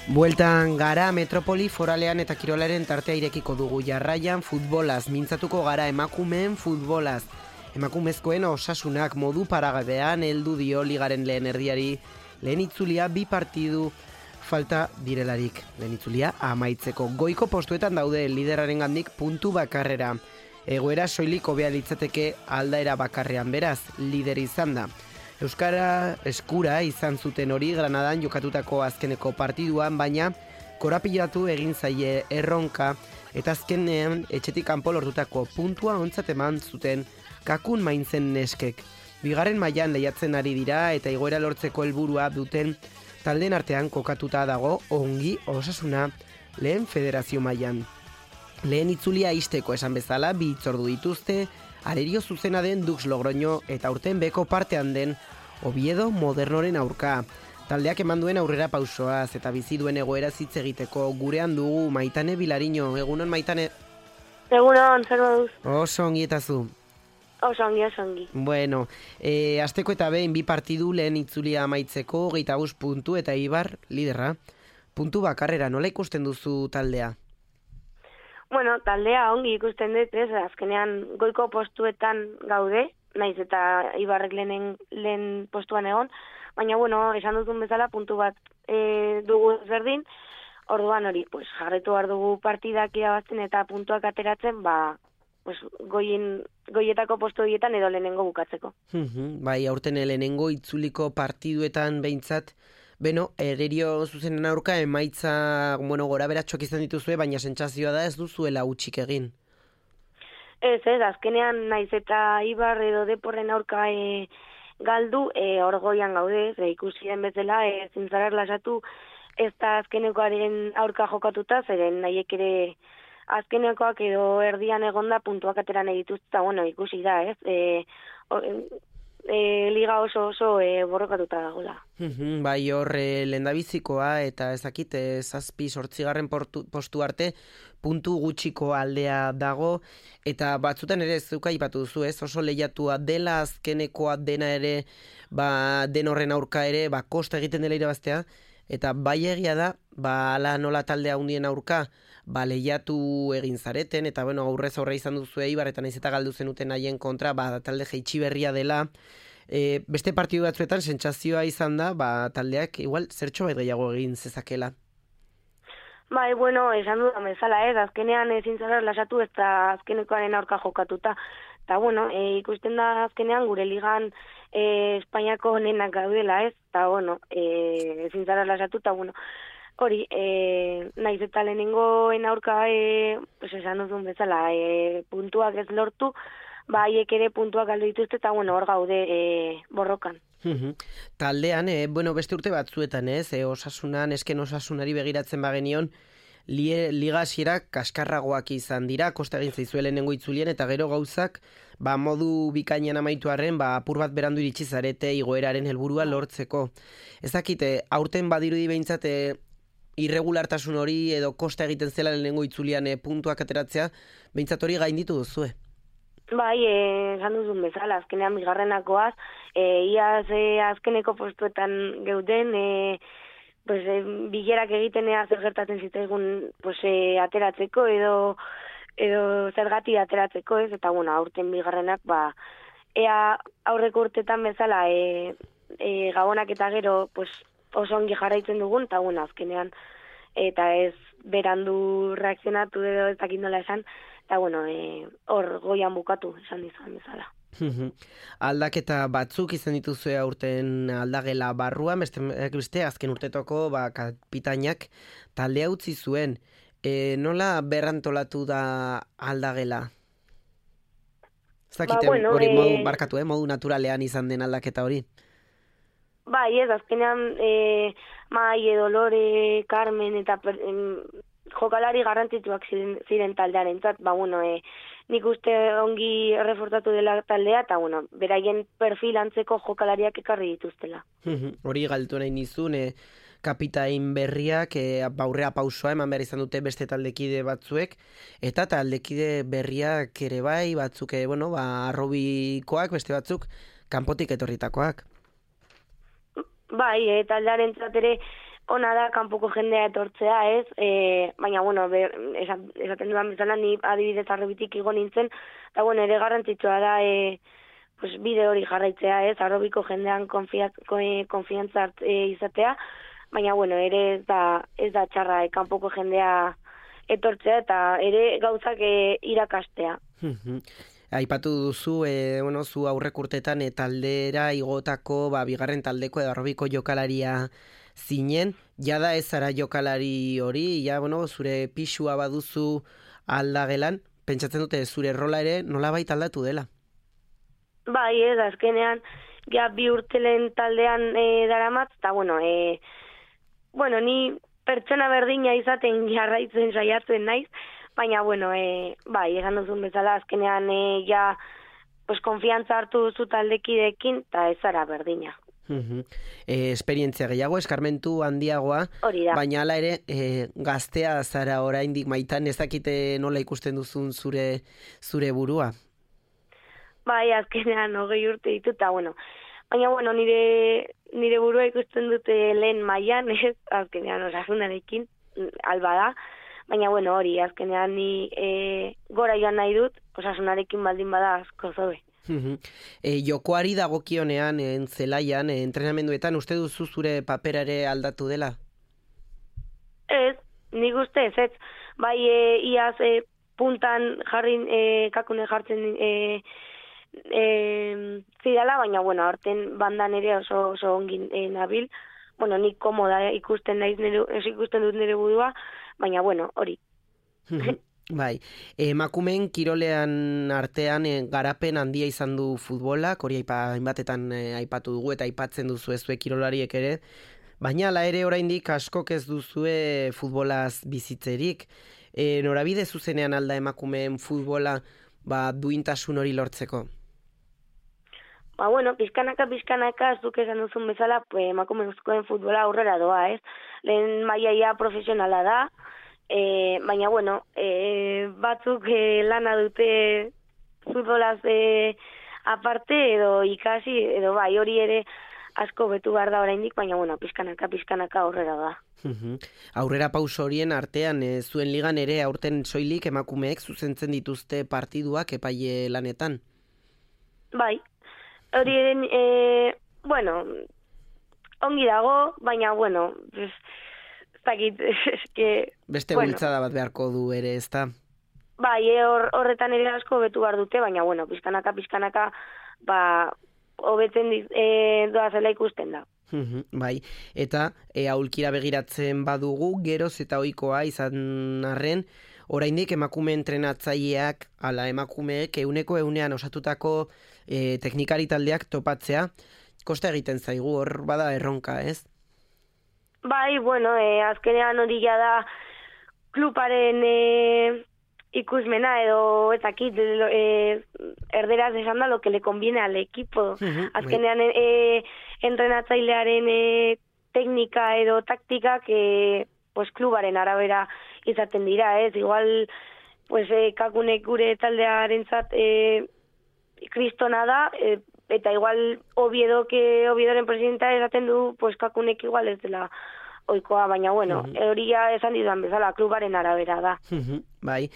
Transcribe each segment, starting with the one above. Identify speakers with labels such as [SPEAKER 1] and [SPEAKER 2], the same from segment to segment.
[SPEAKER 1] Bueltan gara metropoli foralean eta kirolaren tartea irekiko dugu. Jarraian futbolaz, mintzatuko gara emakumeen futbolaz. Emakumezkoen osasunak modu paragabean heldu dio ligaren lehen erdiari. Lehen itzulia 2 partidu falta direlarik. Lehen itzulia amaitzeko. Goiko postuetan daude lideraren gandik puntu bakarrera. Egoera soilik hobea litzateke aldaera bakarrean, beraz, lider izan da. Euskara eskura izan zuten hori Granadan jokatutako azkeneko partiduan, baina korapilatu egin zaie erronka eta azkenean etxetik kanpo lortutako puntua ontzat eman zuten Kakun Maintzen neskek. Bigarren mailan lehiatzen ari dira eta igoera lortzeko helburua duten taldeen artean kokatuta dago ongi osasuna lehen federazio mailan. Lehen itzulia isteko esan bezala 2 hitzordu dituzte, arerio zuzena den Dux Logroño eta urten beko partean den Oviedo Modernoren aurka. Taldeak eman duen aurrera pausoaz eta bizi duen egoera hitz egiteko gurean dugu Maitane Bilariño. Egunon, Maitane?
[SPEAKER 2] Egunon, zer moduz?
[SPEAKER 1] Oso ongi eta zu?
[SPEAKER 2] Oso ongi.
[SPEAKER 1] Bueno, asteko eta behin 2 partidu lehen itzulia amaitzeko 25 puntu eta Ibar liderra. Puntu bakarrera, nola ikusten duzu taldea?
[SPEAKER 2] Bueno, taldea ongi ikusten dut, azkenean goiko postuetan gaude, naiz eta Ibarrek lehen postuan egon, baina bueno, esan duzun bezala puntu bat dugu ezberdin, orduan hori, pues jarretu behar dugu partidak irabazten eta puntuak ateratzen, pues goietako postu horietan edo lehenengo bukatzeko.
[SPEAKER 1] Bai, aurten lehenengo itzuliko partiduetan behintzat, ererio zuzenen aurka emaitza, gora beratxoak izan dituzue, baina sentsazioa da ez duzuela hutsik egin.
[SPEAKER 2] Ez, azkenean naiz eta Ibar edo Deporren aurka galdu, hor goian gaude, ikusi den bezala, zintzarar lasatu ez da azkenekoaren aurka jokatuta, zeren nahiek ere azkenekoak edo erdian egonda puntuak ateran edituz, eta ikusi da, liga oso borrokatuta dagoela.
[SPEAKER 1] Bai, hor lehendabizikoa eta ezakit 7-8 postu arte puntu gutxiko aldea dago eta batzutan ere zeuka aipatu duzu, oso lehiatua dela azkenekoa dena ere, den horren aurka ere, kosta egiten dela irabaztea eta bai egia da, ala nola taldea handien aurka, lehiatu egin zareten eta aurrez aurre izan duzu Eibar eta naiz eta galdu zenuten haien kontra, talde jaitsi berria dela. Beste partidu batzuetan sentsazioa izan da, taldeak igual zertxo bat gehiago egin zezakela.
[SPEAKER 2] Bai, esan dudan bezala, azkenean ezin zara lasatu ez da azkenekoaren aurka jokatuta. Eta, ikusten da azkenean gure ligan Espainiako honenak gaudela, eta, ezin zara lasatu, eta, hori, naiz eta lehenengoen aurka, esan duzun bezala, puntuak ez lortu, haiek ere puntuak galdu dituzte, eta, hor gaude borrokan.
[SPEAKER 1] Taldean, beste urte batzuetan, osasunan, esken osasunari begiratzen bagenion, liga hasierak kaskarragoak izan dira, kosta egin zaizue lehenengo itzulien, eta gero gauzak, modu bikainan amaitu arren, apur bat berandu iritsi zarete igoeraren helburua lortzeko. Ez dakite, aurten badirudi behintzat, irregulartasun hori edo kosta egiten zela lehenengo itzulian puntuak ateratzea, behintzat hori gainditu duzue.
[SPEAKER 2] Bai, esan duzun bezala, azkenean bigarrenakoaz, iaz azkeneko postuetan geuden, bilerak egiten zer gertatzen zitzaigun ateratzeko edo zergati ateratzeko, eta aurten bigarrenak, ea aurreko urtetan bezala gabonak eta gero oso ongi jarraitzen dugun, eta azkenean, eta ez berandu reakzionatu edo ez dakit nola esan, eta hor goian bukatu esan dizan bezala.
[SPEAKER 1] Aldaketa batzuk izan dituzue aurten aldagela barruan, beste azken urtetoko kapitainak taldea utzi zuen. Nola berrantolatu da aldagela? Ez dakiten hori modu barkatu, modu naturalean izan den aldaketa hori?
[SPEAKER 2] Bai, azkenean Mai, Dolore, Carmen eta jokalari garrantzituak ziren taldearen zat, nik uste ongi reforzatu dela taldea, eta beraien perfil antzeko jokalariak ekarri dituztela.
[SPEAKER 1] Hori galtu nahi nizun, kapitain berriak aurrea pausoa eman behar izan dute beste taldekide batzuek, eta taldekide berriak ere bai, batzuk, arrobikoak, beste batzuk, kanpotik etorritakoak.
[SPEAKER 2] Bai, taldearen ere ona da kanpoko jendea etortzea, ez? Baina, bueno, esaten dudan bezala, ni adibidez arrobitik igo nintzen, eta, bueno, ere garrantzitsua da, pues, bide hori jarraitzea, ez? Arrobiko jendean konfiantza izatea, baina, bueno, ere ez da txarra kanpoko jendea etortzea, eta ere gauzak irakastea.
[SPEAKER 1] Aipatu duzu, zu aurrek urtetan taldera igotako, bigarren taldeko edo arrobiko jokalaria zinen, jada ez zara jokalari hori, zure pixua baduzu aldagelan, pentsatzen dute zure rola ere nolabait aldatu dela?
[SPEAKER 2] Bai, azkenean, ja 2 urtelen taldean daramat, eta bueno, ni pertsona berdina izaten jarraitzen saiatzen naiz, baina, bai, esan duzun bezala, azkenean pues, konfiantza hartu duzu taldekidekin, eta ez zara berdina.
[SPEAKER 1] Esperientzia gehiago, eskarmentu handiagoa, baina hala ere, gaztea zara oraindik maitan, ez dakite nola ikusten duzun zure burua?
[SPEAKER 2] Bai, azkenean 20 urte ditu, eta baina, nire burua ikusten dute lehen mailan, ez, azkenean osasunarekin, alba da, baina, hori, azkenean ni gora joan nahi dut, osasunarekin baldin bada asko zobe.
[SPEAKER 1] Jokoari dagokionean, zelaian, entrenamenduetan, uste duzu zure papera ere aldatu dela?
[SPEAKER 2] Ez, nik uste ez. Bai, iaz puntan kakune jartzen zidala, baina, aurten bandan ere oso ongin nabil. Nik komoda ikusten dut nire burua, baina, hori.
[SPEAKER 1] Bai, emakumeen kirolean artean garapen handia izan du futbolak, hori hainbatetan aipatu dugu eta aipatzen duzu ezue kirolariek ere, baina ala ere oraindik askok ez duzue futbolaz bizitzerik. Norabide zuzenean alda emakumeen futbola duintasun hori lortzeko?
[SPEAKER 2] Pizkanaka, zuk esan duzun bezala, emakumezkoen futbola aurrera doa, ez? Lehen mailaia profesionala da, baina, batzuk lana dute futbolaz aparte edo ikasi, edo bai, hori ere asko betu behar da oraindik, baina, pizkanaka aurrera da.
[SPEAKER 1] Aurrera pauso horien artean, zuen ligan ere aurten soilik emakumeek zuzentzen dituzte partiduak epaile lanetan?
[SPEAKER 2] Bai, hori ere, ongi dago, baina,
[SPEAKER 1] beste bultzada bat beharko du ere, ez da?
[SPEAKER 2] Bai, horretan ere asko betu behar dute, baina, pizkanaka, hobetzen doazela ikusten da.
[SPEAKER 1] Bai, eta aulkira begiratzen badugu, geroz eta ohikoa izan arren, oraindik emakume entrenatzaileak, ala emakumeek 100% osatutako teknikari taldeak topatzea, kosta egiten zaigu, hor bada erronka, ez?
[SPEAKER 2] Bai, azkenean hori da klubaren ikusmena edo ezakit erderaz esan da lo que le conviene al equipo. Azkenean entrenatzailearen teknika edo taktikak pues klubaren arabera izaten dira, ez? Igual pues kakunek gure taldearentzat kristona da, eta igual Oviedoren presidenta esaten du, pues kakunek igual ez dela oikoa, baina hori esan dizudan bezala, klubaren arabera da.
[SPEAKER 1] Bai,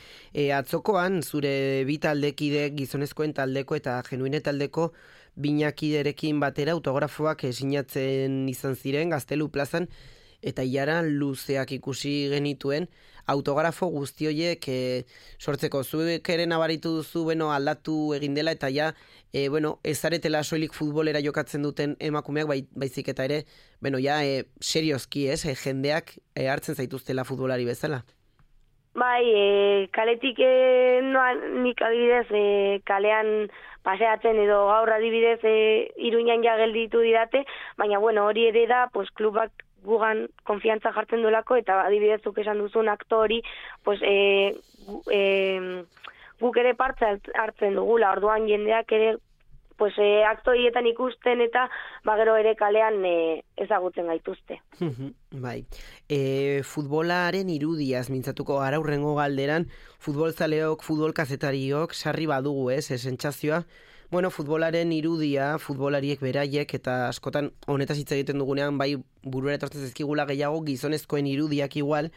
[SPEAKER 1] atzokoan zure bi taldekide, gizonezkoen taldeko eta genuine taldeko binakiderekin batera autografoak sinatzen izan ziren Gaztelu plazan, eta ilara luzeak ikusi genituen, autografo guzti horiek sortzeko. Zuek ere nabaritu duzu, aldatu egin dela, eta ez zaretela soilik futbolera jokatzen duten emakumeak, baizik eta ere, seriozki, jendeak hartzen zaituztela futbolari bezala.
[SPEAKER 2] Bai, kaletik nik adibidez kalean paseatzen edo gaur adibidez Iruñan ja gelditu didate, baina hori ere da, pues klubak gugan konfiantza jartzen duelako, eta adibidezuk esan duzun aktori, pues guk ere parte hartzen dugula, orduan jendeak ere pues aktorietan ikusten eta gero ere kalean ezagutzen gaituzte.
[SPEAKER 1] Bai. Futbolaren irudiaz mintzatuko gara hurrengo galderan, futbolzaleok, futbol kazetariok sarri badugu, sentsazioa, Bueno, futbolaren irudia, futbolariek beraiek, eta askotan honetaz hitz egiten dugunean, bai burura etortzen zaizkigula gehiago gizonezkoen irudiak igual,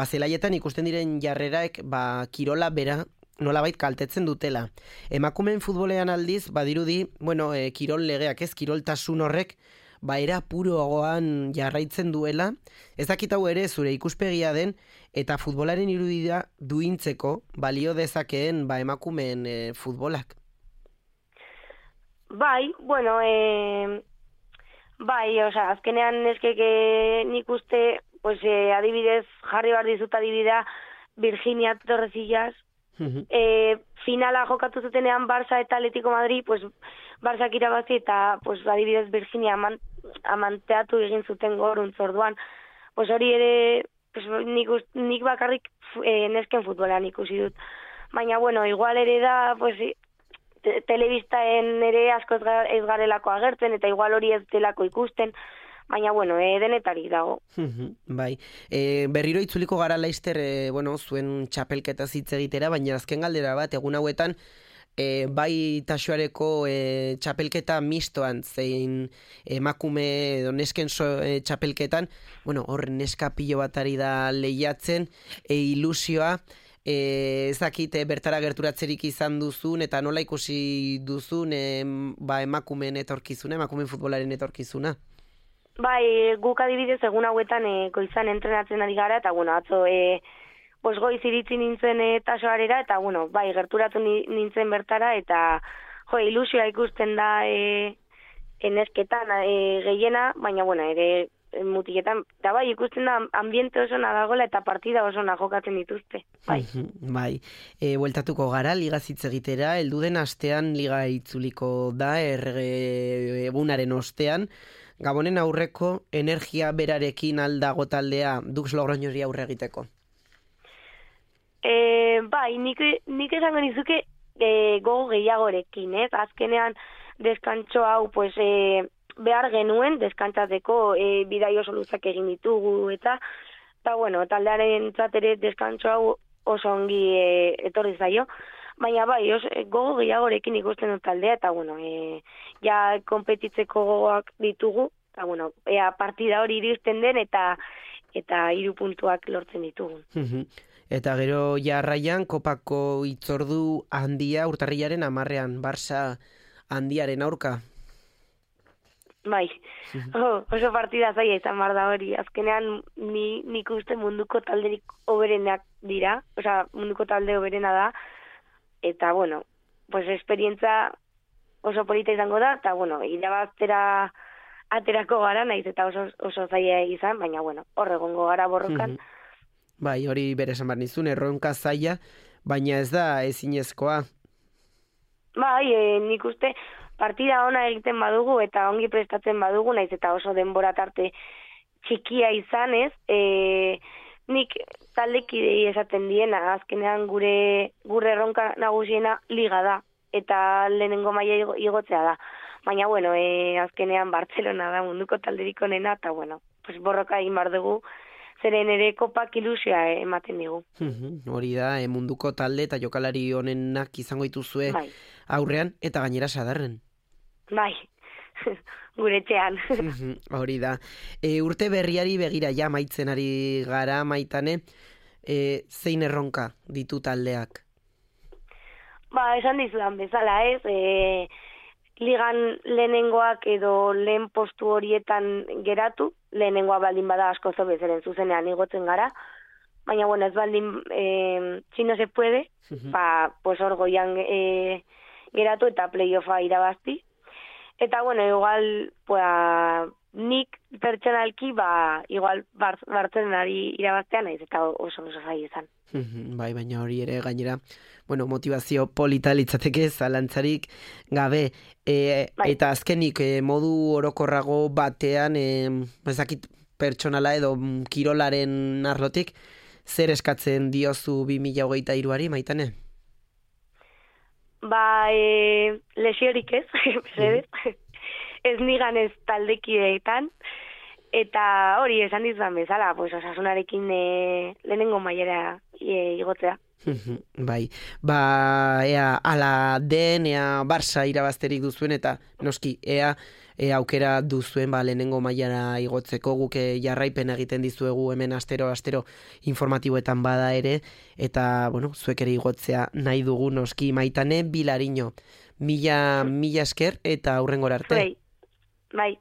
[SPEAKER 1] zelaietan ikusten diren jarreraek, kirola bera nolabait kaltetzen dutela. Emakumeen futbolean aldiz, badirudi, bueno, kirol legeak ez, kiroltasun horrek, era puroagoan jarraitzen duela, ez dakit hau ere zure ikuspegia den, eta futbolaren irudia duintzeko balio dezakeen emakumeen futbolak.
[SPEAKER 2] Bai, bueno, azkenean eskeke nik uste, pues, adibidez, jarri behar dizut adibidea, Virginia Torresillas, finala jokatu zutenean Barça eta Atletico Madrid, pues, Barçak irabazi eta, pues, adibidez, Virginia amanteatu egin zuten goruntz orduan. Pues hori ere, pues, nik bakarrik nesken futbolan ikusi dut. Baina, bueno, igual ere da, pues, telebistaen ere asko ez garelako agertzen, eta igual hori ez delako ikusten, baina, bueno, denetarik dago.
[SPEAKER 1] Bai, berriro itzuliko gara Laster, zuen txapelketa hitz egitera, baina azken galdera bat, egun hauetan, bai taxoareko txapelketa mistoan, zein emakume edo nesken txapelketan, hor neska pilo bat ari da lehiatzen, ilusioa, ezakit bertara gerturatzerik izan duzun, eta nola ikusi duzun emakumeen etorkizuna, emakumeen futbolaren etorkizuna?
[SPEAKER 2] Bai, guk adibidez egun hauetan goizan entrenatzen ari gara, eta atzo goiz iritzi nintzen tasoarera, eta bai, gerturatu nintzen bertara, eta ilusioa ikusten da nesketan gehiena, baina ere mutiketan, eta bai, ikusten da ambiente oso dagoela eta partida oso jokatzen dituzte. Bai.
[SPEAKER 1] Bai, bueltatuko gara, ligaz hitz egitera, helduden astean liga itzuliko da, egunaren ostean, Gabonen aurreko energia berarekin aldago taldea Dux Logroñori aurre egiteko?
[SPEAKER 2] Bai, nik esango nizuke gogo gehiagorekin, ez? Azkenean deskantxo hau, pues, behar genuen deskantzatzeko bidai oso luzak egin ditugu, eta taldearen ere deskantxo hau oso ongi etorri zaio, baina bai, gogo gehiagorekin ikusten dut taldea, eta ja konpetitzeko gogoak ditugu, eta partida hori iristen den, eta 3 puntuak lortzen ditugu.
[SPEAKER 1] Eta gero jarraian kopako itzordu handia urtarrilaren 10ean, Barça handiaren aurka.
[SPEAKER 2] Bai, oso partida zaila izan behar da hori. Azkenean nik uste munduko talderik hoberenak dira, munduko talde hoberena da, eta, pues esperientza oso polita izango da, eta, irabaztera aterako gara, naiz eta oso zaila izan, baina, hor egongo gara borrokan.
[SPEAKER 1] Bai, hori bere esan behar nizun, erronka zaila, baina ez da ezinezkoa.
[SPEAKER 2] Bai, nik uste partida ona egiten badugu eta ongi prestatzen badugu, naiz eta oso denbora tarte txikia izan, ez? Nik taldekidei esaten diena, azkenean gure erronka nagusiena liga da, eta lehenengo maila igotzea da. Baina, azkenean Bartzelona da munduko talderik onena, eta, pues borroka egin behar dugu, zeren ere kopak ilusioa ematen digu.
[SPEAKER 1] Hori da, munduko talde eta jokalari honenak izango dituzue aurrean, eta gainera sadarren.
[SPEAKER 2] Bai, gure etxean.
[SPEAKER 1] Hori da. Urte berriari begira ja maitzen ari gara, Maitane, zein erronka ditu taldeak?
[SPEAKER 2] Esan dizudan bezala, ez? Ligan lehenengoak edo lehen postu horietan geratu, lehenengoa baldin bada asko zobezeren zuzenean igotzen gara, baina, ez baldin, si no se puede, pues hor goian geratu eta playoffa irabazti. Eta, igual, nik pertsonalki, igual Bartzelonari irabaztean, naiz eta oso zaila izan.
[SPEAKER 1] Bai, baina hori ere gainera, motivazio polita litzateke zalantzarik gabe. Eta azkenik modu orokorrago batean, ezakit pertsonala edo kirolaren arlotik, zer eskatzen diozu 2023ari, Maitane?
[SPEAKER 2] Lesiorik ez, ez nigan ez taldekideetan, eta hori esan dizudan bezala, pues osasunarekin lehenengo mailera igotzea.
[SPEAKER 1] Bai, ea ala den, ea Barça irabazterik duzuen, eta noski, ea aukera duzuen lehenengo mailara igotzeko, guk jarraipen egiten dizuegu hemen astero informatiboetan bada ere, eta, bueno, zuek ere igotzea nahi dugu noski. Maitane Bilariño, mila esker eta hurrengora arte.
[SPEAKER 2] Bai.